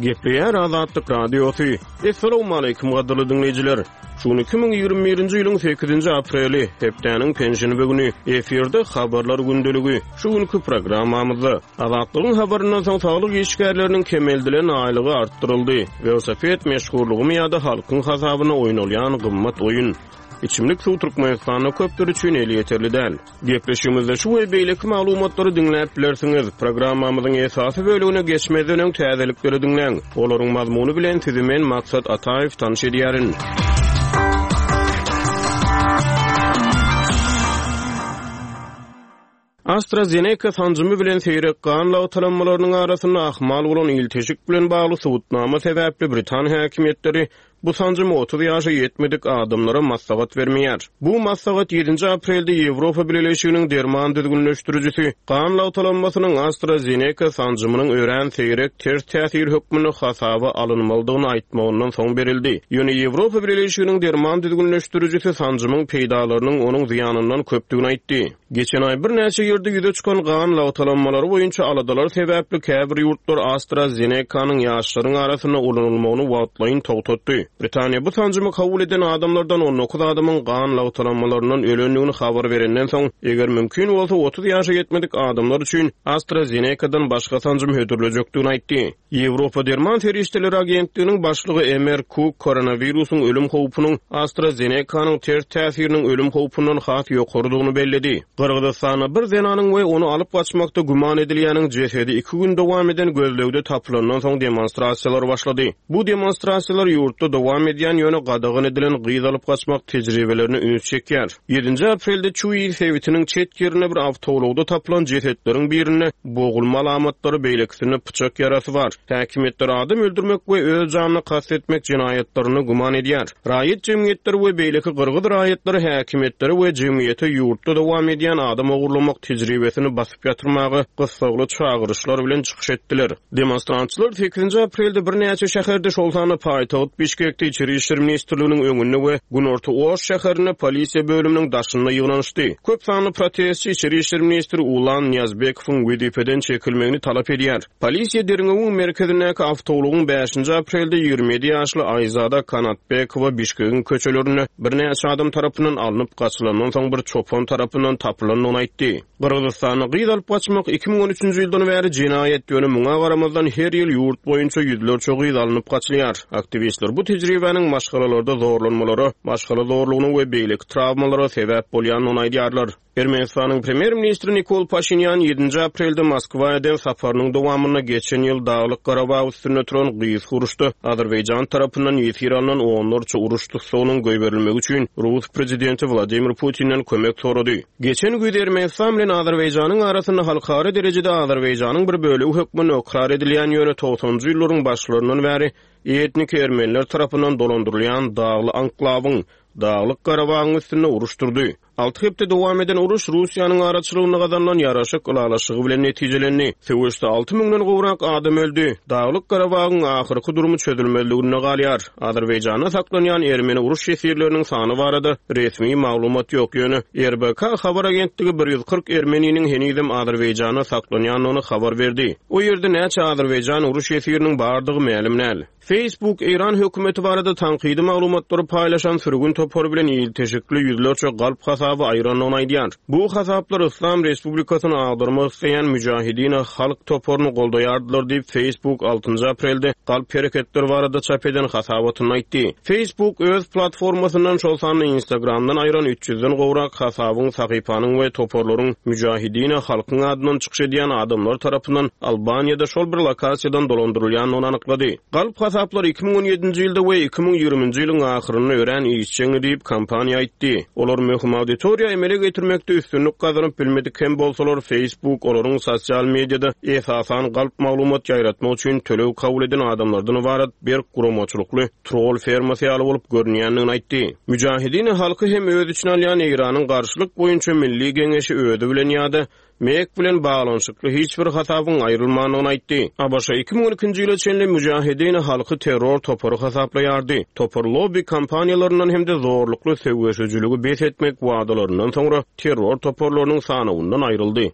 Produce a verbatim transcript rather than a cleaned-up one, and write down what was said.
Gepleýär Azatlyk Radiosy. Essalawmaleýkim gadyrly diňleýjiler. Şu gün iki müň ýigrimi birinji ýylyň sekizinji apreli, hepdäniň penşenbe güni, efirde Habarlar gündeligi. Şu günki programmamyzda Azatlygyň habaryndan soň saglyk işgärleriniň kemeldilen aýlygy artdyryldy. Welosiped meşhurlygymy ýa-da halkyň hasabyna oýnalýan gymmat oýun. Içimlik suw Türkmenistanda köpler üçin elýeterli däl. Gepleşigimizde şu we beýleki maglumatlary diňläp bilersiňiz. Programmamyzyň esasy bölümine geçmezden öň täzelikleri diňläň. Olaryň mazmuny bilen sizi men Maksat Ataýew tanyş edýärin. AstraZeneca sanjymy bilen seýrek gan lagtalanmalarynyň arasynda ahmal bolan ilteşik bilen bagly subutnama sebäpli Britan häkimiýetleri bu sanjymy otuz ýaşa ýetmedik adamlara maslahat bermeýär. Bu maslahat ýedinji aprelde Ýewropa Bileleşiginiň derman düzgünleşdirijisi gan lagtalanmasynyň AstraZeneca sanjymynyň örän seýrek ters täsir hökmünde hasaba alynmalydygyny aýtmagyndan soň berildi. Ýöne Ýewropa Bileleşiginiň derman düzgünleşdirijisi sanjymyň peýdalarynyň onuň zyýanyndan köpdügini aýtdy. Geçen aý birnäçe ýerde ýüze çykan gan lagtalanmalary boýunça aladalar sebäpli käbir ýurtlar AstraZeneca-nyň ýaşlaryň arasynda ulanylmagyny wagtlaýyn togtatdy. Britaniýa bu sanjymy kabul eden adamlardan on dokuz adamyň gan lagtalanmalaryndan ölendigini habar berenden soň, eger mümkin bolsa otuz ýaşa ýetmedik adamlar üçin AstraZeneca-dan başga sanjym hödürlejekdigini aýtdy. Ýewropa Derman Serişdeleri Agentliginiň başlygy Emer Cook koronawirusyň ölüm howpunyň AstraZeneca-nyň ters täsiriniň ölüm howpundan has ýokarydygyny belledi. Gyrgyzystanda bir zenanyň we ony alyp gaçmakda güman edilýäniň jesedi iki gün dowam eden gözlegde tapylandan soň demonstrasiýalar başlady. Bu demonstrasiýalar ýurtda dowam edýän ýöne gadagan edilen gyz alyp gaçmak tejribelerine üns çekýär. Ýedinji aprelde Çuý sebitiniň çet ýerinde bir awtoulagda tapylan jesetleriň birinde bogulma alamatlary, beýlekisinde pyçak ýarasy bar. Häkimiýetler adam öldürmek we öz janyna kast etmek jenaýatlaryny güman edýär. Raýat jemgyýetleri we beýleki gyrgyz raýatlary häkimiýetleri we jemgyýete ýurtda dowam edýän adam ogurlamak tejribesini basyp ýatyrmaga gyssagly çagyryşlar bilen çykyş etdiler. Demonstrantçylar sekizinji aprelde birnäçe şäherde, şol sanda paýtagt Bişkekde İçeri İşler Ministrliginiň öňünde we Günorta Oş şäherinde polisiýa bölüminiň daşynda ýygnanyşdy. Köp sanly protestçi İçeri İşler Ministri Ulan Niýazbekowyň wezipeden çekilmegini talap edýär. Polisiýa derňewiň merkezindäki awtoulagyň bäşinji aprelde ýigrimi ýedi ýaşly Aýzada Kanatbekowa Bişkegiň köçelerinde birnäçe adam tarapyndan alnyp gaçylandan soň bir çopan tarapyndan tapylandygyny aýtdy. Gyrgyzystanda gyz alyp gaçmak iki müň on üçünji ýyldan bäri jenaýat, ýöne muňa garamazdan her ýyl ýurt boýunça ýüzlerçe gyz alnyp gaçylýar. Aktiwistler bu tejribäniň maşgalalarda zorlanmalara, maşgala zorlugyna we beýleki travmalara sebäp bolýandygyny aýdýarlar. Ermenistanyň premýer-ministri Nikol Paşinyan ýedinji aprelde Moskwa eden saparynyň dowamynda geçen ýyl Daglyk Garabag üstünde turan gysga uruşda Azerbaýjan tarapyndan ýesir alnan onlarça uruş tutsagynyň goýberilmegi üçin Rus prezidenti Wladimir Putinden kömek sorady. Geçen güýz Ermenistan bilen Azerbaýjanyň arasynda halkara derejede Azerbaýjanyň bir bölegi hökmünde ykrar edilýän ýöne togsanjy ýyllaryň başlaryndan bäri etnik ermeniler tarapyndan dolandyrylýan Dagly Anklawyň Daglyk Garabagyň üstünde uruş durdy. Alty hepde dowam eden uruş Russiýanyň araçylygynda gazanylan ýaraşyk ylalaşygy bilen netijelendi. Söweşde alty müňden gowrak adam öldü. Daglyk Garabagyň ahyrky durumy çözülmezliginde galýar. Azerbaýjanda saklanýan ermeni uruş ýesirleriniň sany barada resmi maglumat ýok. Ýöne R B K habar agentligi bir ýüz kyrk ermeniniň henizem Azerbaýjanda saklanýandygyny habar berdi. O ýerde näçe Azerbaýjan uruş ýesiriniň bardygy mälim däl. Facebook Eýran hökümeti barada tankydy maglumatlary paýlaşan sürgün topary bilen ilteşikli ýüzlerçe galp hasaby aýrandygyny aýdýar. Bu hasaplar Islam Respublikasyny agdarmak isleýän Müjahidine halk toparyny goldaýardylar diýip Facebook altynjy aprelde galp hereketler barada çap eden hasabatyny aýtdy. Facebook öz platformasyndan şol sanda Instagramdan aýran üç ýüzden gowrak hasabyň, sahypanyň we toparlaryň Müjahidine halkyň adyndan çykyş edýän adamlar tarapyndan Albaniýada şol bir lokasiýadan dolandyrylýandygyny anyklady. Galp hasaplar iki müň on ýedinji ýylda we iki müň ýigriminji ýylyň ahyrynda örän işjeňdi diýip kompaniýa aýtdy. Olar möhüm auditoriýa emele getirmekde üstünlik gazanyp bilmedik hem bolsalar Facebook olaryň sosial mediada esasan galp maglumat ýaýratmak üçin töleg kabul eden adamlardan ybarat berk guramaçylykly troll fermasy ýaly bolup görünýändigini aýtdy. Müjahidine halky hem öz içine alýan Eýranyň garşylyk boýunça milli geňeşi özi bilen ýa-da Mek bilen baglanyşykly hiç bir hasabyň aýrylmandygyny aýtdy. A B Ş iki müň on ikinji ýyla çenli Müjahidine halky terror topary hasaplaýardy. Topar lobby kompaniýalaryndan hem-de zorlukly söweşijiligi bes etmek wadalaryndan soňra terror toparlarynyň sanawyndan aýryldy.